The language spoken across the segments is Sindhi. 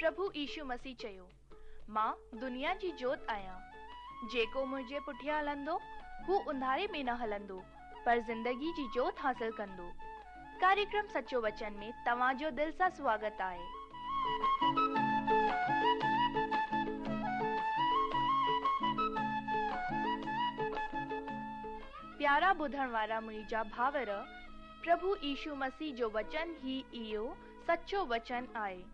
پرڀو يشو مسيح چيو، مان دنيا جي جوت آهيان. جيڪو منهنجي پٺيان هلندو، هو انڌاري ۾ نه هلندو، پر زندگي جي جوت حاصل ڪندو. ڪاريڪرم سچو وچن ۾ توهان جو دل سان سواگت آهي. پيارا ٻڌڻ وارا منهنجا ڀائر، پرڀو يشو مسيح جو وچن ئي اهو سچو وچن آهي،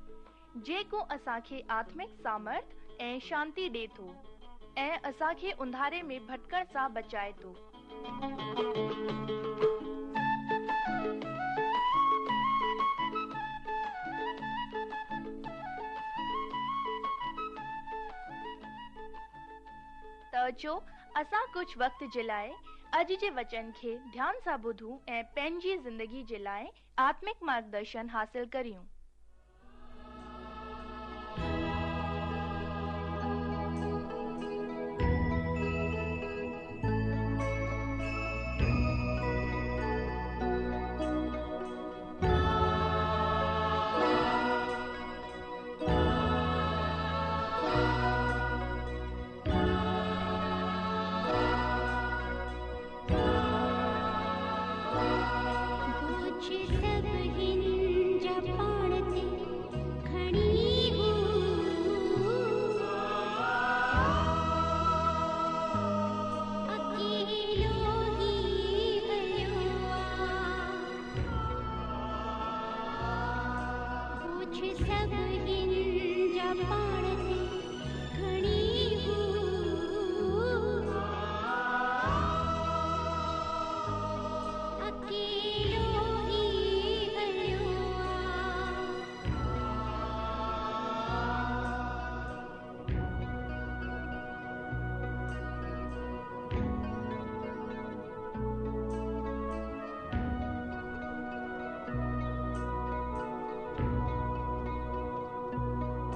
جيڪو اسان کي آتمڪ سامرٿ ۽ شانتي ڏي ٿو ۽ اسان کي انڌاري ۾ ڀٽڪڻ سان بچائي ٿو. ته اچو اسان ڪجهه وقت جي لاء اڄ جي وچن کي ڌيان سان ٻڌون ۽ پنهنجي زندگي جي لاء آتمڪ مارگدرشن حاصل ڪريون.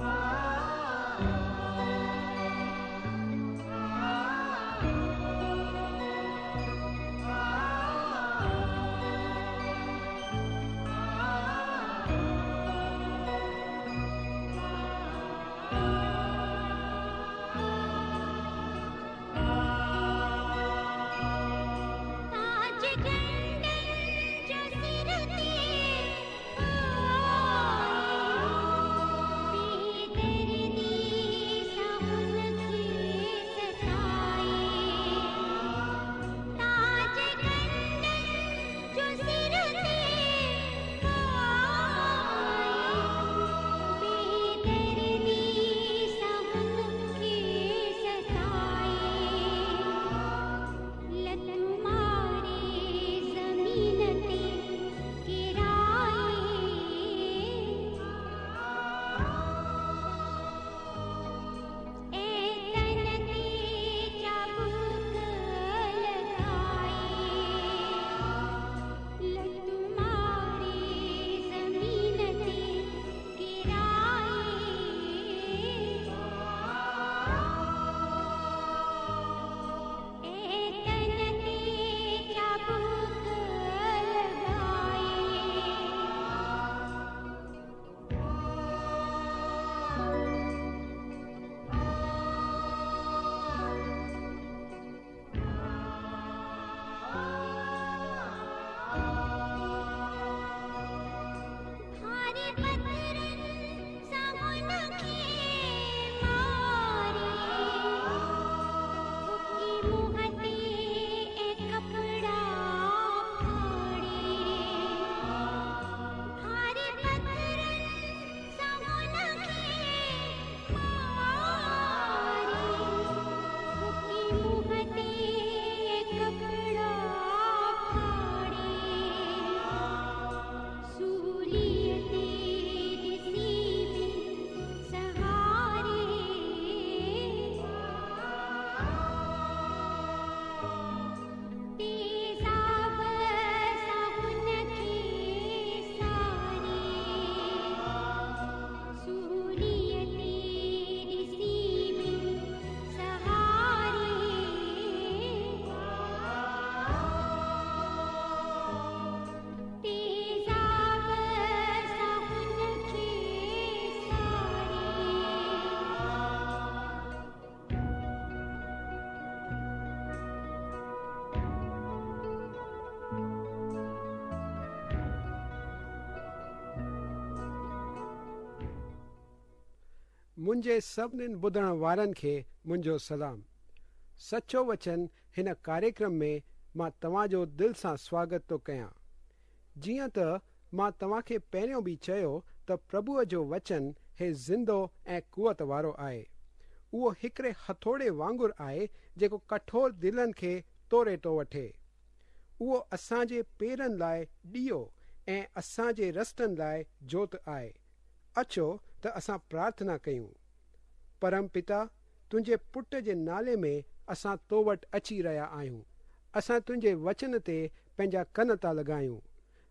Ah. منهنجي سڀنين ٻڌڻ وارن کي منهنجو سلام. سچو وچن هن ڪاريڪرم ۾ مان توهان جو دل سان سواگت ٿو ڪيان. جيئن ته مان توهان کي پهريون به چيو ته پرڀوء جو وچن هي زندو ۽ قوت وارو آهي. اهو هڪڙي هٿوڙي وانگر آهي جيڪو ڪٺور دلن کي توڙي ٿو وٺي. اهو اسان جي پيرن لاء ڏيئو ۽ اسان جي رستن لاء جوت آهي. اچو ته اسان پرارٿنا ڪيون. پرم پتا، تنهنجي پٽ جي نالي ۾ اسان تو وٽ اچي رهيا آهيون. اسان تنهنجي وچن تي پنهنجا ڪن ٿا لڳايون.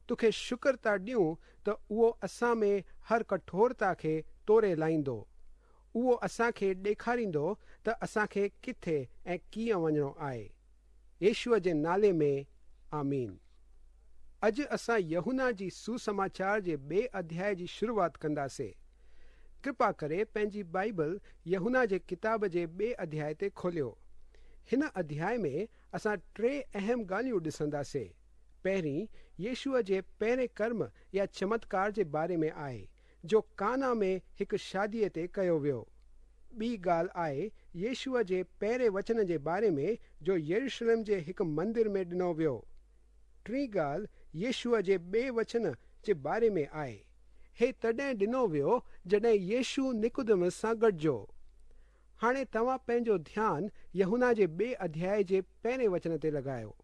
توکي شڪر ٿا ڏيون ته اهو اسان ۾ هر ڪٺورتا کي توڙي لاهيندو. اهو اسان کي ڏيکاريندو ته اسان کي ڪٿي ۽ ڪيئن وڃڻو آهي. يشوع جي نالي ۾، آمين. اڄ اسان يوحنا جي سوسماچار جي ٻئي اڌياء جي شروعات ڪنداسي. ڪرپا ڪري پنهنجي بائيبل يوحنا جي ڪتاب جي ٻئي اڌياء تي کوليو. هن اڌياء ۾ اسان ٽي اهم ڳالهيون ڏسنداسي. پهرين، يشوع جي پهرين ڪرم يا چمتڪار جي باري ۾ آهي، جو قانا ۾ هڪ شاديء تي ڪيو ويو. ٻي ڳالهه آهي يشوع جي پهرين وچن جي باري ۾ جو يروشلم جي هڪ مندر ۾ ڏنو ويو. ٽين ڳالهه يشوع جي ٻئي وچن جي باري ۾ آهي. هي تڏهن ڏنو ويو جڏهن يشوع نڪوديمس سان گڏجو. هاڻي توهان پنهنجو ڌيان يوحنا جي ٻئي اڌياء جي پهرين وچن تي لڳايو.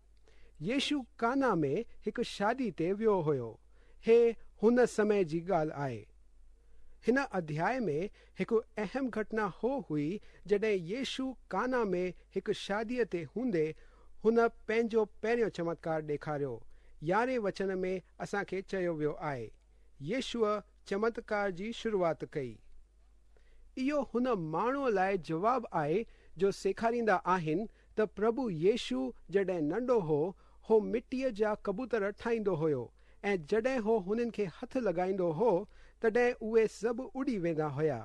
يشوع قانا ۾ هڪ شادي تي ويو هيو. هي هن سمي جي ڳالهه آهي. هن اڌياء ۾ هڪ اهم گهٽنا هو هئي جڏهن يشوع قانا ۾ هڪ شاديء تي هوندي هن پنهنجو پهريون چمتڪار ڏيکاريو. يارهين وچن ۾ اسان کي چيو ويو آهي، يشوع چمتڪار جي شروعات ڪئي. اهو هن ماڻهوء لاء جواب آهي جو سيکاريندا آهن ته پرڀو يشوع جڏهن ننڍو هو، هو مٽيء جا ڪبوتر ٺاهيندو هيو ۽ جڏهن هو هنن کي هٿ لڳائيندو هو تڏهن اهي سڀ اڏي ويندا هيا.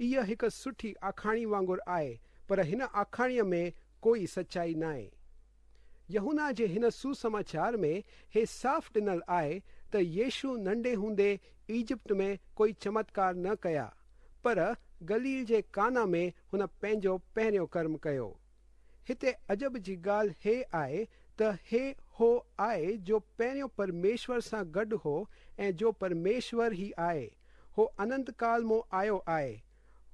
اها هڪ سٺي آکاڻي وانگر آهي پر هن آکاڻيء ۾ ڪوئي سچائي ناهي. يوحنا جي هن سوسماچار ۾ هي صاف ڏنل آهي ته يشوع ننڍي هوندي ايجپٽ ۾ ڪوئي چمتڪار نه ڪيا، پر گليل جي قانا ۾ هن پنهنجو پهريون ڪرم ڪيو. هتي عجب جي ڳالهه هي آهي ته هي هو آهي جو پهريون پرميشور سان گڏ هو ۽ جو پرميشور ئي آهي. هو اننت ڪال مون آيو آهي.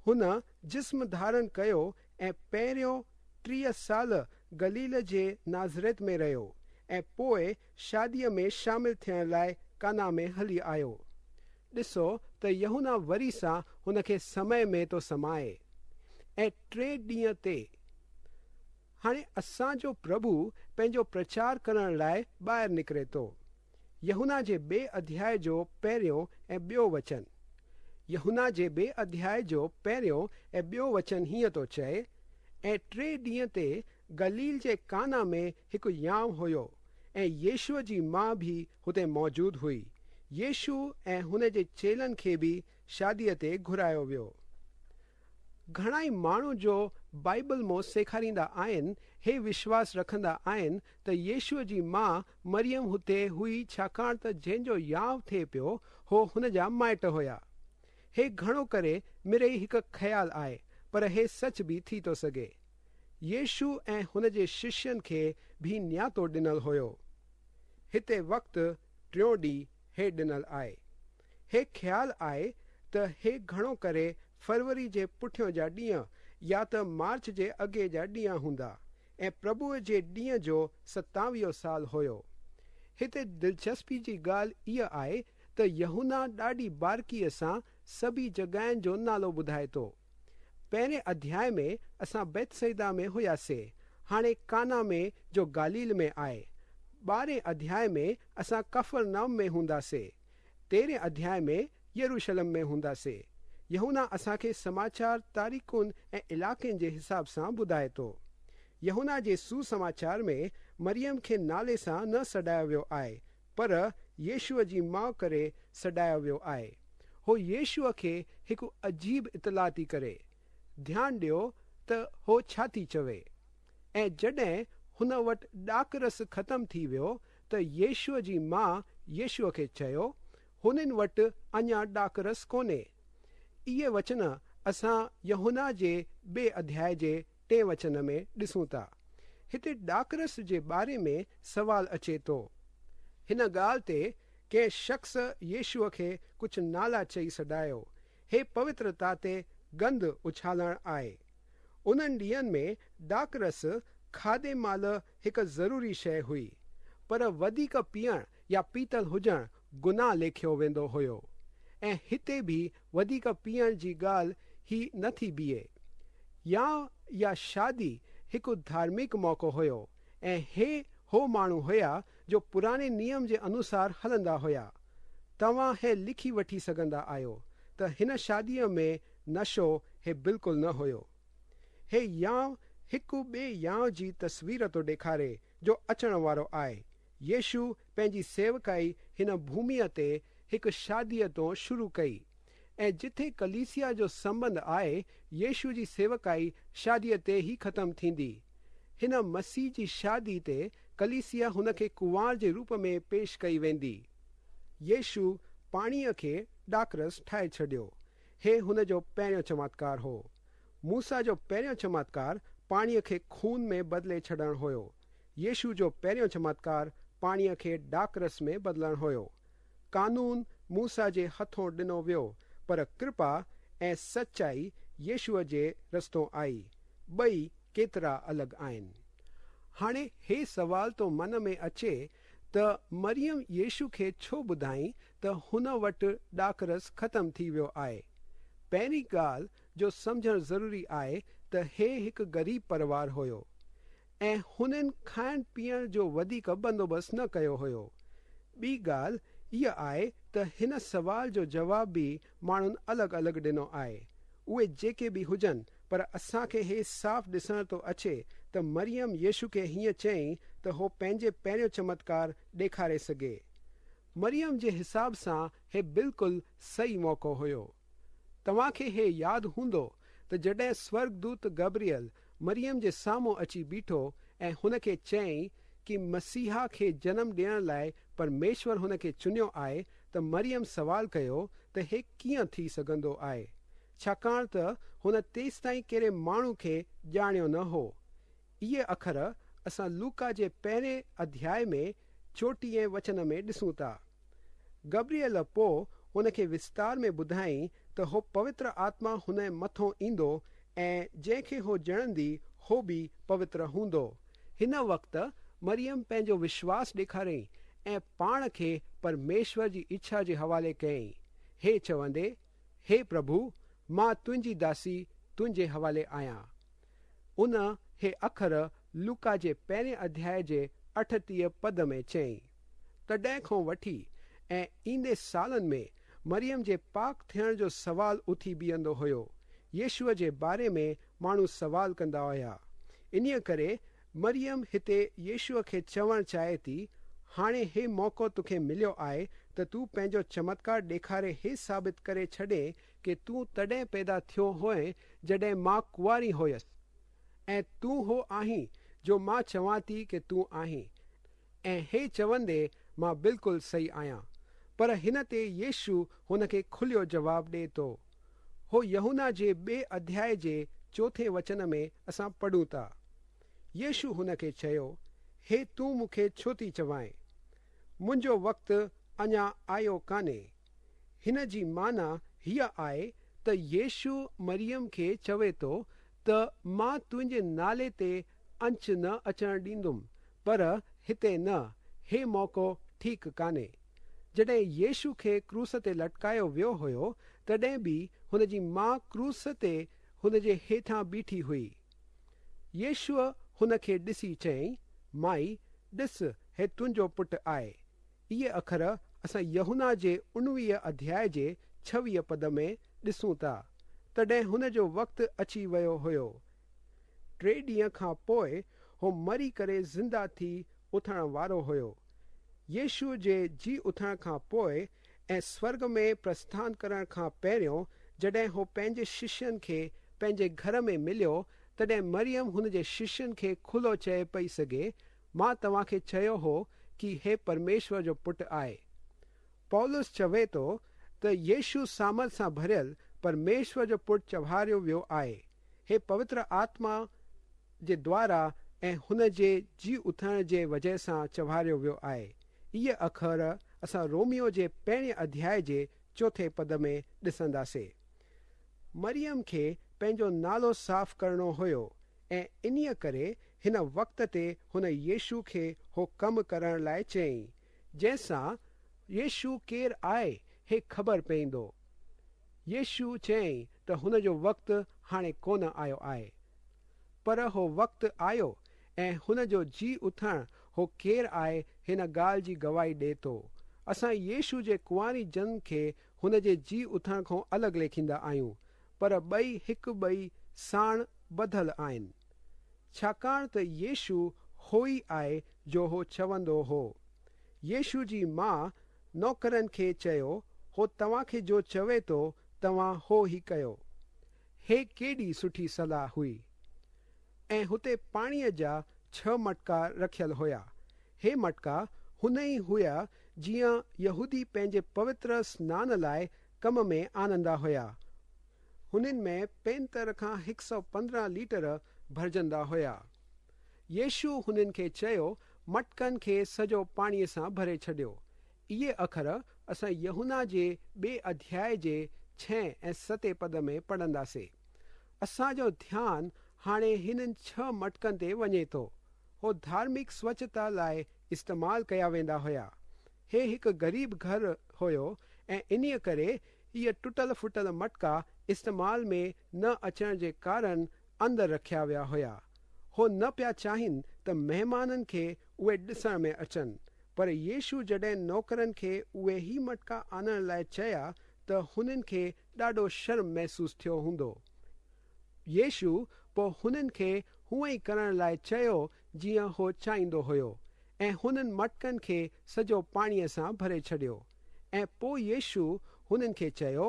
هن جسم ڌارڻ ڪيو ۽ پهريون 30 سال گليل جي ناصرت ۾ رهيو ۽ پوء شاديء ۾ شامل ٿيڻ لاء قانا ۾ هلي آيو. ڏسو ته يوحنا وري سان هن کي سمي ۾ ٿو سمائي. ۽ ٽي ڏينهن تي. هاڻي اسان جو پرڀو پنهنجو پرچار ڪرڻ لاء ٻاهر نڪري ٿو. يوحنا جي ٻئي اڌياء جو پهريون ۽ ٻيو وچن. يوحنا جي ٻئي اڌياء جو پهريون ۽ ٻيو وچن هيئن ٿو چئي، ۽ ٽي ڏينهن تي گليل جي قانا ۾ هڪ وهانء هيو، ۽ يشوع جي ماء به هتي موجود هئي. يشوع ۽ هن جي چيلن کي به شاديء تي گهرايو ويو. گهڻائي ماڻهو جو بائيبل مون سيکاريندا آهن هي وشواس رکندا آهن ته يشوع جي ماء مريم هتي هئي ڇاڪاڻ ته جنهن جو وهانء ٿئي پيو هو هن جا مائٽ هيا. هي گهڻو ڪري مڙئي هڪ خيال آهي پر هي سچ به ٿي ٿو سگهي. يشوع ۽ هن جي ششين کي به نياتو ڏنل هيو. هتي وقت ٽيون ڏينهن هي ڏنل آهي. هي خيال آهي ته هي گهڻو ڪري فروري جي پٺيون جا ڏينهن يا ته مارچ جي اڳي جا ڏينهن هوندا ۽ پرڀوء جي ڏينهن جو ستاويهون سال هيو. هتي دلچسپي جي ڳالهه اها آهي ته يوحنا ڏاڍي بارڪيء سان سڀئي جڳهين جو نالو ٻڌائي ٿو. پهرين اڌياء ۾ اسان بيتصيدا ۾ هياسي، هاڻي قانا ۾ جو گليل ۾ آهي. ٻارهين اڌياء ۾ اسان ڪفرناهم ۾ هونداسي. تيرهين اڌياء ۾ يروشلم ۾ هونداسي. يوحنا اسان کي سماچار تاريخن ۽ علائقن جي حساب سان ٻڌائي ٿو. يوحنا جي سوسماچار ۾ مريم کي نالي سان نه سڏايو ويو آهي، پر يشوع جي ماء ڪري سڏايو ويو آهي. هو يشوع کي هڪ عجيب اطلاع ٿي ڪري. ڌيان ڏيو ته هو ڇا ٿي چوي. ۽ جڏهن هن وٽ ڏاکرس ختم ٿي ويو ته يشوع جي ماء يشوع کي چيو، هنن وٽ اڃا ڏاکرس ڪونهي. اهي وچن اسان يوحنا جي ٻئي اڌياء جي ٽئين وچن ۾ ڏسون ٿا. هتي ڏاکرس جي باري ۾ سوال اچي ٿو. هن ڳالهه تي ڪنهن شخص يشوع کي ڪجهه نالا چئي سڏايو. هي پوترتا تي گند اڇالڻ آهي. انهن ڏينهن ۾ ڏاکرس کاڌي مهل هڪ ضروري شيء هئي. پر وڌيڪ پيئڻ يا پيتل هجڻ گناهه ليکيو ويندو هيو ۽ هتي به وڌيڪ پيئڻ جي ڳالهه هي نه ٿي بيهي. ويانء يا شادي هڪ ڌارمڪ موقعو هيو ۽ هي هو ماڻهو هيا جو پراڻي نيم جي انوسار هلندا هيا. توهان هي لکي وٺي سگهندا آهيو ته هن شاديء ۾ نشو هي بلڪل نه هيو. هي ويانء هڪ ٻئي ويانء جي تصوير ٿو ڏيکاري جو اچڻ وارو آهي. يشوع پنهنجي سيوڪائي هن ڀوميء تي هڪ شاديء تون شروع ڪئي ۽ جٿي ڪليسيا جو سنٻنڌ آهي، يشوع جي سيوڪائي شاديء تي ئي ختم ٿيندي. هن مسيح جي شادي تي ڪليسيا هن کي ڪنوار جي روپ ۾ پيش ڪئي ويندي. يشوع پاڻيء کي ڏاکرس ٺاهي ڇڏيو. هي هن جو پهريون چمتڪار هو. موسيٰ جو پهريون چمتڪار پاڻيء کي خون ۾ بدلي ڇڏڻ هيو. يشوع جو پهريون چمتڪار پاڻيء کي ڏاکرس ۾ بدلڻ هيو. قانون موسيٰ جي هٿون ڏنو ويو، پر ڪرپا ۽ سچائي يشوع جي رستو آئي. ٻئي ڪيترا الڳ آهن. هاڻي هي سوال ٿو من ۾ اچي ته مريم يشوع کي ڇو ٻڌائين ته هن وٽ ڏاکرس ختم ٿي ويو آهي؟ پهرين ڳالهه جو سمجهڻ ضروري آهي ته هي هڪ غريب پريوار هيو ۽ هنن کائڻ پيئڻ جو وڌيڪ بندوبست نه ڪيو هيو. ٻي ڳالهه اها آهي ته هن سوال جو جواب به ماڻهن الڳ الڳ ڏنو آهي. اهي جيڪي به هجن پر اسان کي هي صاف ڏسڻ ٿو اچي ته مريم يشوع کي هيئن چيائين ته هو پنهنجي پهريون چمتڪار ڏيکاري سگهي. مريم جي حساب سان هي بلڪل صحيح موقعو هيو. توهان کي هي ياد هوندو ته جڏهن سورڳدوت گبريل مريم جي سامهون اچي بيٺو ۽ هن کي چيائين ڪي مسيحا کي جنم ڏيڻ لاء پرميشور هن کي چنيو آهي ته مريم سوال ڪيو ته هي ڪيئن ٿي سگهندو آهي؟ ڇاڪاڻ ته هن تيستائين ڪهڙي ماڻهو کي ڄاڻيو نه هو. اهي اکر اسان لوڪا جي پهرين اڌياء ۾ 34 وچن ۾ ڏسون ٿا. گبريل پوء هن کي وستار ۾ ٻڌائين ته هو پوتر آتما هن مٿون ايندو ۽ جنهن کي هو ڄڻندي هو به پوتر هوندو. هن وقت مريم پنهنجو وشواس ڏيکاريائين ۽ پاڻ کي پرميشور جي اڇا جي حوالي ڪيائين، هي چوندي، هي پرڀو، مان تنهنجي داسي تنهنجي حوالي آهيان. ان هي اکر لوڪا جي پهرين اڌياء جي 38 پد ۾ چيائين. تڏهن کان وٺي ۽ ايندي سالن ۾ مريم جي پاڪ ٿيڻ جو سوال اٿي بيهندو هيو. يشوع جي باري ۾ ماڻهو سوال ڪندا هيا. انهيء ڪري مريم هتي يشوع کي چوڻ چاهي ٿي، هاڻي هي موقعو توکي مليو آهي ته تون پنهنجو چمتڪار ڏيکاري هي ثابت ڪري ڇڏين ڪي تون تڏهن پيدا ٿيو هئين جڏهن مان ڪنواري هيس ۽ تون هو آهين جو مان چوان ٿي ڪي تون آهين ۽ هي چوندي مان بلڪل صحيح آهيان. پر هن تي يشوع هن کي کليو جواب ڏئي ٿو. هو يوحنا جي ٻئي اڌياء جي چوٿين وچن ۾ اسان پڙهون ٿا. يشوع هن کي چيو، هي تون مون کي ڇو ٿي چوائين؟ منهنجو وقت اڃا آيو ڪانهي. هن جي معنيٰ هيء آهي ته يشوع مريم کي چوي ٿو ته مان تنهنجي نالي تي آنچ نه اچڻ ڏيندم، پر هتي نه، هي موقعو ٺيڪ ڪانهي. جڏهن يشوع کي ڪروس تي لٽڪايو ويو هيو، تڏهن به هن جي ماء ڪروس تي هن جي هيٺان بيٺي هئي. يشوع هن کي ڏسي چيائين، مائي، ڏس، هي تنهنجو پٽ آهي. اهي اکر اسان يوحنا جي 19 اڌياء جي 26 پد ۾ ڏسون ٿا. تڏهن هن جو وقت اچي ويو هيو. ٽي ڏينهن کان پوء هو مري ڪري زنده ٿي اٿڻ وارو هيو. يشوع جي جي اٿڻ کان پوء ۽ سورڳ ۾ پرسٿان ڪرڻ کان پهريون جڏهن هو پنهنجي ششين کي پنهنجي گهر ۾ مليو، تڏهن مريم هن جي ششين کي کلو چئي پئي سگهي، مان توهان کي چيو هو ڪي هي پرميشور جو پٽ آهي. پولس چوي ٿو ته يشوع سامرٿ سان ڀريل پرميشور جو پٽ چواريو ويو آهي. هي پوتر آتما جي دوارا ۽ هن جي جي اٿڻ جي وجهه سان چواريو ويو آهي. اهي اکر اسان روميو جي پهرين اڌياء جي چوٿين پد ۾ ڏسنداسين. مريم کي پنهنجو نالو صاف ڪرڻو هيو ۽ انهيء ڪري هن وقت تي هن يشو کي هو ڪم ڪرڻ لاء چيائين، جنهن سان يشو ڪير آهي هي خبر پوندو. يشو چيائين ته هن جو وقت هاڻي ڪونه آيو آهي. پر هو وقت آيو ۽ هن جو جي اٿڻ هو ڪير آهي هن ڳالهه جي گواهي ڏئي ٿو. اسان يشو جي ڪنواري جنم کي هن جي جي اٿڻ کان الڳ ليکيندا آهيون، پر ٻئي هڪ ٻئي ساڻ ٻڌل آهن. ڇاڪاڻ ته يشو هو ئي آهي جو هو چوندو هو. يشو جي ماء نوڪرن کي چيو، هو توهان کي جو چوي ٿو توهان هو ئي ڪيو. هي ڪيڏي سٺي صلاح هئي. ۽ هتي پاڻيء جا ڇهه مٽڪا رکيل هيا. هي مٽڪا هن ئي هيا جيئن يهودي پنهنجي پوتر سنان لاء ڪم ۾ آڻندا هيا. هنن ۾ 75 کان 115 ليٽر ڀرجندا هيا. يشو هنن کي چيو، مٽڪن کي سڄو پاڻيء سان ڀري ڇڏيو. اهي اکر اسان يوحنا جي ٻئي اڌياء جي ڇهين ۽ ستين پد ۾ پڙهنداسين. اسان جو ڌيان هاڻي هنن ڇهه مٽڪن تي وڃي ٿو. هو ڌارمڪ سوڇتا لاء استعمال ڪيا ويندا هيا. هي هڪ غريب گهر هيو ۽ انهيء ڪري اهي ٽٽل ڦٽل مٽڪا استعمال ۾ نه اچڻ جي ڪارڻ اندر رکيا ويا هيا. هو نه پيا چاهين ته مهمانن کي اهي ڏسڻ ۾ اچن. پر يشو جڏهن نوڪرن کي اهي هي مٽڪا آڻڻ لاء چيا ته هنن کي ڏاڍو شرم محسوس ٿيو هوندو. يشو پوء هنن کي هونئن ئي ڪرڻ لاء چيو جيئن هو چاهيندو هيو ۽ هنن مٽڪن کي سڄو پاڻيء سان ڀري ڇڏيو. ۽ پوء يشو هنن کي چيو،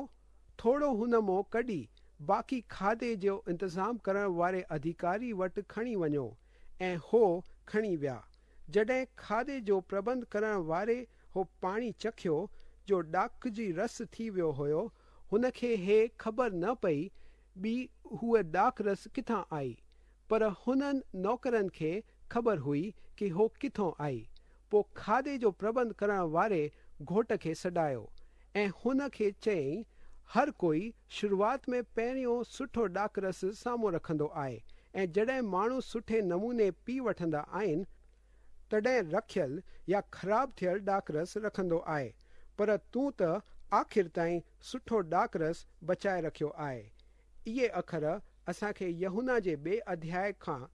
ٿورو هن مون ڪڍي باقي کاڌي جو انتظام ڪرڻ واري اڌيڪاري وٽ کڻي وڃو. ۽ هو کڻي ويا. جڏهن کاڌي جو پربنڌ ڪرڻ واري هو پاڻي چکيو، جو ڏاک جي رس ٿي ويو هيو، هن کي هي خبر نه پئي ٻي هوء ڏاک رس ڪٿان آئي، پر هنن نوڪرن کي خبر هئي ڪي هو ڪٿون آئي. پوء کاڌي جو پربنڌ ڪرڻ واري گهوٽ کي سڏايو ۽ هن کي چيائين، هر ڪوئي شروعات ۾ پهريون سٺو ڏاک رس سامهون رکندو آهي ۽ جڏهن ماڻهو سٺي نموني پي وٺندا آهن، تڏهن رکيل يا خراب ٿيل ڏاک رس رکندو آهي، پر تون ته آخر تائين سٺو ڏاک رس بچائي رکيو آهي. اهي اکر اسان کي يوحنا جي ٻئي اڌياء کان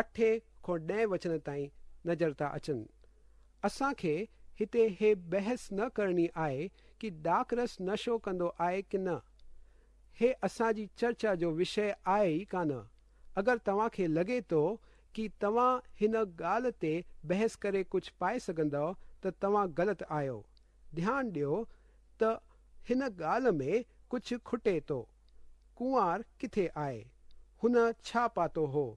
اٺين کان ڏهين وچن تائين نظر ٿا اچن. اسان کي هتي هي بحث نه ڪرڻي آهي ڪي ڏاک رس نشو ڪندو آهي ڪي نه. هي اسان جي چرچا جو وشيه آهي ئي ڪانه. اگر توهان کي لڳي ٿو ڪي توهان هن ڳالهه تي بحث ڪري ڪجهه پائي سگهندؤ ته توهان غلط آهيو. ڌيان ڏيو ته هن ڳالهه ۾ ڪجهه کٽي ٿو. ڪنوار ڪٿي آهي؟ هن ڇا پاتو هو؟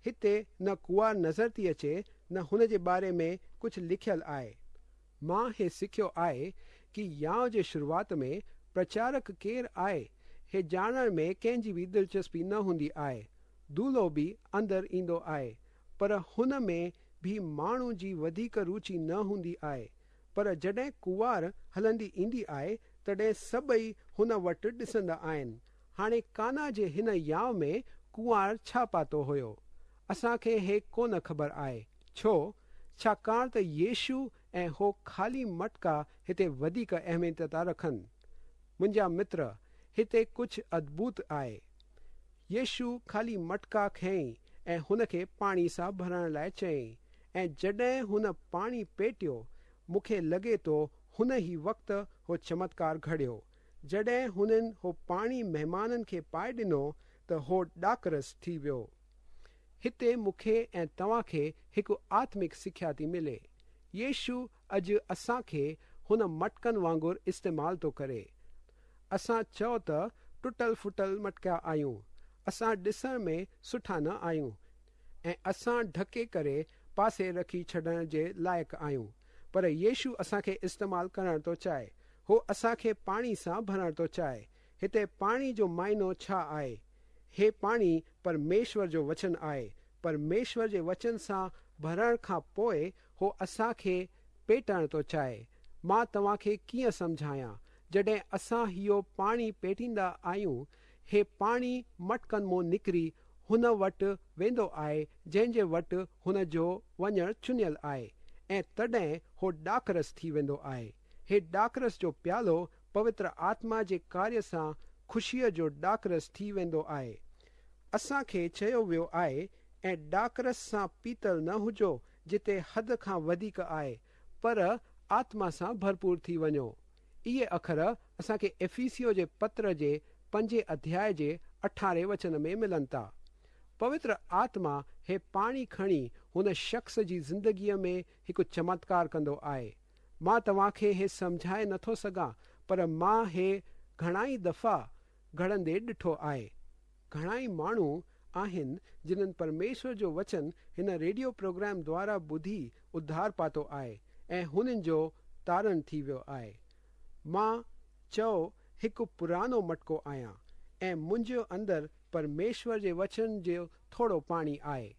هتي نه ڪنوار نظر ٿي اچي نه هن جي باري ۾ ڪجهه لکيل آهي. مان هي سکيو آهي ڪي يانء جي شروعات ۾ پرچارڪ ڪير آهي هي ڄاڻڻ ۾ ڪنهن جي به دلچسپي نه هوندي آهي. دولهو به اندر ايندو آهي پر هن ۾ به ماڻهو جي وڌيڪ روچي نه هوندي آهي. پر جڏهن ڪنوار هلندي ايندي آهي، تڏهن سڀئي هن وٽ ڏسندا آهن. هاڻي قانا جي هن يانء ۾ ڪنوار ڇا پاتو هيو؟ اسان کي هي ڪونه خبر آهي. ڇو؟ ڇاڪاڻ ته يشو ۽ هو خالي مٽڪا هتي وڌيڪ اهميت ٿا رکن. منهنجا متر، هتي ڪجهه ادڀت آهي. يشو خالي مٽڪا کنئي ۽ هن کي پاڻي سان ڀرڻ لاء چيائين ۽ جڏهن هن پاڻي پيٽيو، مون کي لڳي ٿو هن ئي وقت هو چمتڪار گهڙيو. جڏهن هنن هو پاڻي مهمانن کي پائي ڏنو ته هو ڏاکرس ٿي ويو. هتي مون کي ۽ توهان کي هڪ آتمڪ سکيا ٿي ملي. يشو اڄ اسان کي هن مٽڪن وانگر استعمال ٿو ڪري. اسان چئو ته ٽٽل ڦٽل مٽڪا آهيون، اسان ڏسڻ ۾ سٺا نه آهيون ۽ اسان ڍڪي ڪري پاسي رکي ڇڏڻ جي لائق آهيون، پر يشو اسان کي استعمال ڪرڻ ٿو چاهي. هو اسان کي پاڻي سان ڀرڻ ٿو چاهي. هتي پاڻي جو معنو ڇا آهي؟ هي پاڻي پرميشور جو وچن آهي. پرميشور جي وچن سان ڀرڻ کان پوء هو اسان کي پيٽڻ ٿو چاهي. مان توهان کي ڪيئن سمجهايان؟ جڏهن اسان اهو پاڻي پيٽيندا آهيون، هي پاڻي مٽڪن مون نڪري هن وٽ ويندو آهي جنهن جي وٽ هن جو وڃڻ چنيل آهي ۽ تڏهن هو ڏاکرس ٿي ويندو آهي. هي ڏاکرس جو پيالو پوتر آتما جي ڪاريه سان خوشيء جو ڏاکرس ٿي ويندو آهي. اسان کي چيو ويو آهي ۽ ڏاکرس سان پيتل نه هجو جتي حد کان وڌيڪ آهي، پر آتما سان ڀرپور ٿي وڃو. اهي اکر اسان کي افيسيو جي پتر جي پنجين اڌياء جي اٺارهين وچن ۾ ملن ٿا. پوتر آتما هي پاڻي کڻي هن شخص جي زندگيء ۾ هڪ چمتڪار ڪندو آهي. مان توهان کي هي سمجهائي نٿو سگهان، پر مان هي گهڻائي دفعا گهڙندي ڏٺو آهي. گهڻائي ماڻهو آهن جنهن پرميشور جو وچن هن ريڊيو پروگرام دوارا ٻڌي اڌار پاتو آهي ۽ هنن جو تارڻ ٿي ويو آهي. مان چئو هڪ پراڻو مٽڪو آهيان ۽ منهنجي اندر پرميشور جي وچن جو ٿورو پاڻي آهي.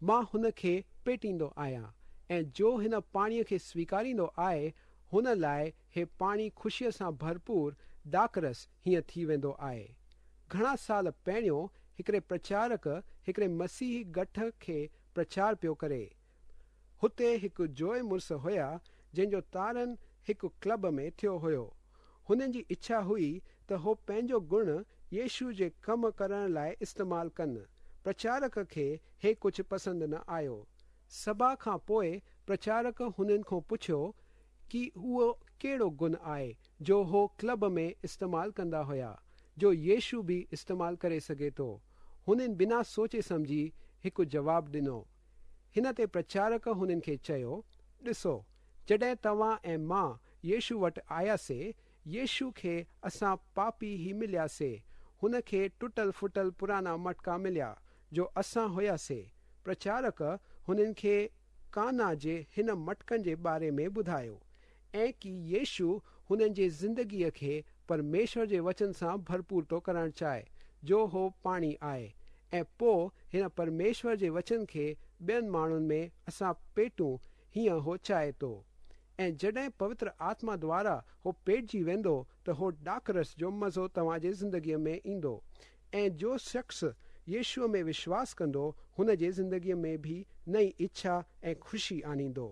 مان هن کي پيٽيندو آهيان ۽ جو هن پاڻيء کي سويڪاريندو آهي هن لاء هي پاڻي خوشيء سان ڀرپور ڏاکرس هيئن ٿي ويندو آهي. گهڻا سال پهريون هڪڙي پرچارڪ هڪڙي مسيحي ڳٺ کي پرچار پيو ڪري. هتي هڪ جوئي مڙس هيا جنهن جو تارڻ هڪ ڪلب ۾ ٿيو هيو. هنن جي اڇا هئي ته هو پنهنجو گڻ يشو جي ڪم ڪرڻ لاء استعمال ڪن. پرچارڪ کي هي ڪجهه پسند نه آيو. سڀا کان پوء پرچارڪ هنن کان پڇيو ڪي اهو ڪهڙو گڻ آهي جو هو ڪلب ۾ استعمال ڪندا هيا، جو يشو به استعمال ڪري سگهي ٿو. هنن بنا سوچي سمجهي هڪ جواب ڏنو. هن تي پرچارڪ هنن کي چيو، ڏسو، جڏهن توهان ۽ مان يشو وٽ آياسي، يشو کي اسان پاپي ئي ملياسي، هن کي ٽٽل ڦٽل پراڻا مٽڪا مليا، جو اسان هياسي. پرچارڪ هنن کي قانا جي هن مٽڪن جي باري ۾ ٻڌايو ۽ ڪي يشو هنن جي زندگيء کي پرميشور جي وچن سان ڀرپور ٿو ڪرڻ چاهي، جو هو پاڻي آهي ۽ پوء هن پرميشور جي وچن کي ٻين ماڻهن ۾ اسان پيٽون هيئن هو چاهي ٿو. ۽ جڏهن پوتر آتما دوارا هو پيٽجي ويندو ته هو ڏاکرس جو مزو توهان جي زندگيء ۾ ايندو ۽ جو شخص يشوء ۾ وشواس ڪندو هن جي زندگيء ۾ به نئين اڇا ۽ خوشي آڻيندو.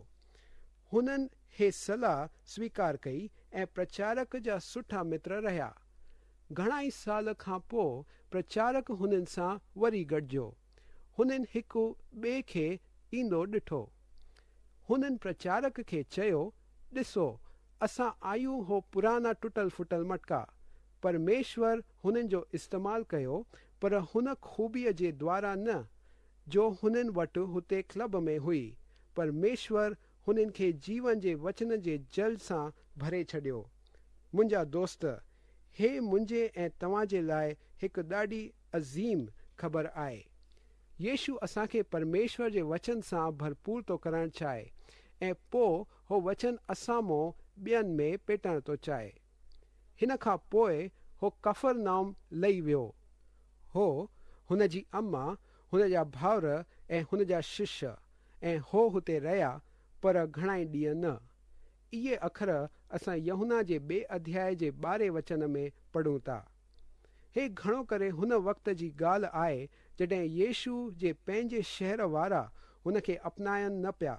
هنن هي صلاح سويڪار ڪئي ۽ پرچارڪ جا سٺا متر رهيا. گهڻا ئي سال کان پوء پرچارڪ هنن سان وري گڏجيو. هنن هڪ ٻئي کي ايندو ڏٺو. هنن پرچارڪ کي چيو، ڏسو، اسان آهيون هو پراڻا ٽٽل ڦٽل مٽڪا. پرميشور هنن جو استعمال ڪيو، پر هن خوبيء جي دوارا نه، جو هنن وٽ هتي ڪلب ۾ هئي. پرميشور هنن کي جيون جي وچن جي جل سان ڀري ڇڏيو. منهنجا دوست، هي منهنجي ۽ توهان جي لاء هڪ ڏاڍي عظيم خبر آهي. يشو اسان کي پرميشور جي وچن سان ڀرپور ٿو ڪرڻ چاهي ۽ پوء هو وچن اسان مون ٻين ۾ پيٽڻ ٿو چاهي. هن کان پوء هو ڪفرنائوم لهي ويو. هو، هن جي اما، هن جا ڀائر ۽ هن جا شش، ۽ هو هتي رهيا، پر گهڻائي ڏينهن نه. اهي اکر اسان يوحنا جي ٻئي اڌياء جي ٻارهين وچن ۾ پڙهون ٿا. هي گهڻو ڪري هن وقت جي ڳالهه آهي جڏهن يشو جي پنهنجي شهر وارا هن کي اپنائن نه پيا.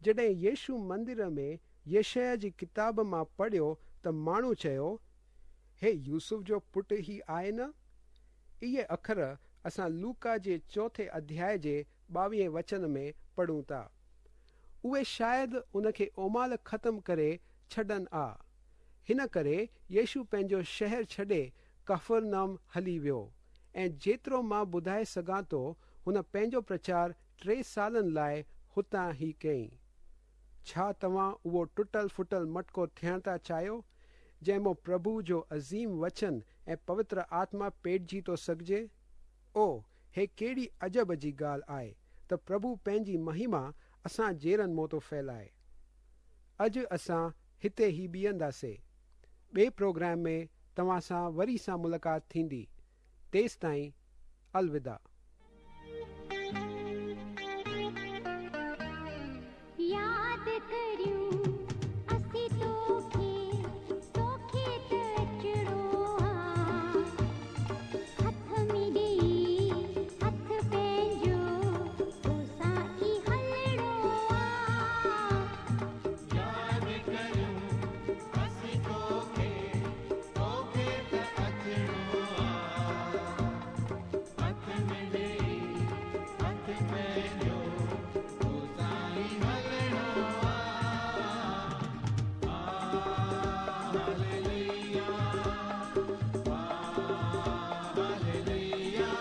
جڏهن يشو مندر ۾ يشعيا جي ڪتاب مان پڙهيو ته ماڻهو چيو، هي يوسف جو پٽ ئي آهي نه؟ اهي اکر اسان لوڪا جي چوٿين اڌياء جي ٻاويهين وچن ۾ پڙهون ٿا. اهي شايد ان کي اومال ختم ڪري ڇڏن آ. هن ڪري يشو پنهنجو شهر ڇڏي ڪفرنهم هلي ويو ۽ جيترو مان ٻڌائي سگهان ٿو هن پنهنجو پرچار ٽي سالن لاء هتان ئي ڪيائين. ڇا توهان اهو ٽٽل ڦٽل مٽڪو ٿيڻ ٿا چاهيو، جنهن مان پرڀو جو عظيم وچن ۽ پوتر آتما پيٽجي ٿو سگهجي؟ او، هي ڪهڙي عجب جي ڳالهه آهي ته پرڀو پنهنجي مهما اسان جهڙن مان ٿو ڦهلائي. اڄ اسان هتي ئي بيهنداسي. ٻئي پروگرام ۾ توهان سان وري سان ملاقات ٿيندي. تيستائين الوداع. ياد ڪريون اسين توکي، توکي ته اچڻو آ. هٿ ۾ ڏيئي هٿ پنهنجو، توسان ئي هلڻو آ. ياد ڪريون اسين توکي، توکي ته اچڻو آ. هٿ ۾ ڏيئي هٿ پنهنجو، توسان ئي هلڻو آ. Hallelujah, hallelujah, hallelujah,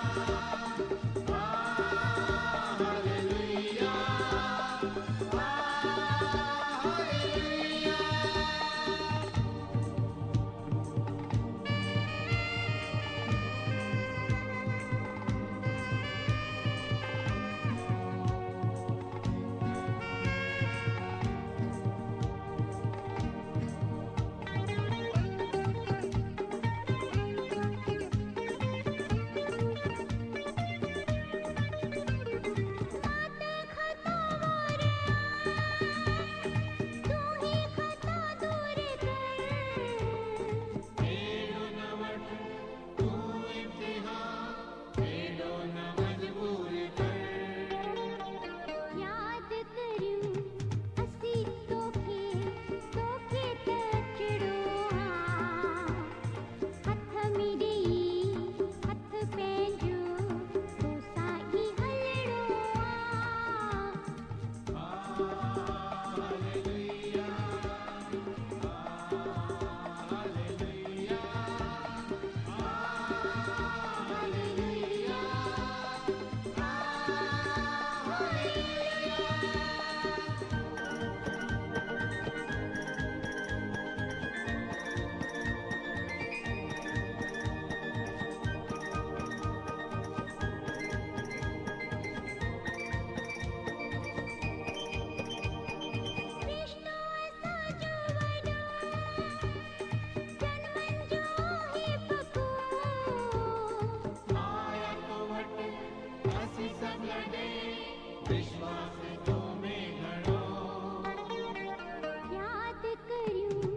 hallelujah. مان ته خطاوار آهيان، تون ئي خطا دور ڪر. اهڙو نه وٺ تون امتحان، اهڙو نه مجبور ڪر. ياد ڪريون اسين توکي، توکي ته اچڻو آ. هٿ ۾ ڏيئي هٿ پنهنجو، توسان ئي هلڻو آ. Hallelujah, hallelujah, hallelujah, hallelujah. فرشتو اسان جو وڏو، جنمن جو آهي پڪو. آيا تو وٽ اسين سڀ لڏي، وشواس تو ۾ گهڻو. ياد ڪريون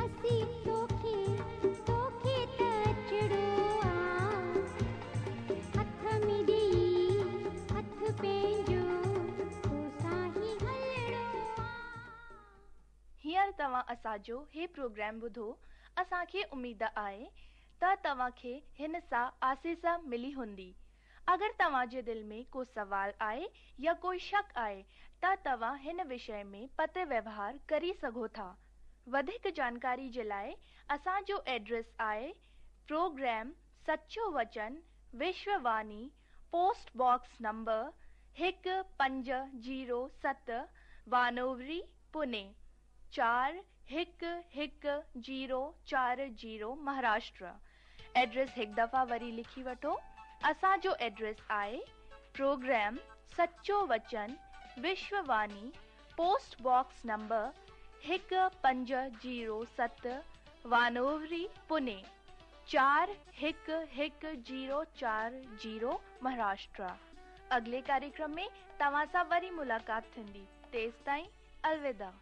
اسين توکي، توکي ته اچڻو آ. هٿ ۾ ڏيئي هٿ پنهنجو، توسان ئي هلڻو آ. هينئر توهان اسان جو هي پروگرام ٻڌو. اسان کي اميد آهي ته توهان کي هن سان آسيس ملي هوندي. اگر توهان جي دل ۾ ڪو سوال آهي يا ڪوئي شڪ آهي ته توهان هن وشي ۾ پتر ويوهار ڪري سگهو ٿا. وڌيڪ جانڪاري جي لاءِ اسان جو ايڊريس آهي programme Sacho Vachan, Vishwavani, post box number 1507، Wanowrie, Pune 411040، Maharashtra. Address هڪ دفعا وري لکي وٺو. اسان جو ايڊريس آهي programme Sacho Vachan, Vishwavani, post box number 1507، Wanowrie, Pune 411040، Maharashtra. اڳلي ڪاريڪرم ۾ توهان سان وري ملاقات ٿيندي. تيستائين الوداع.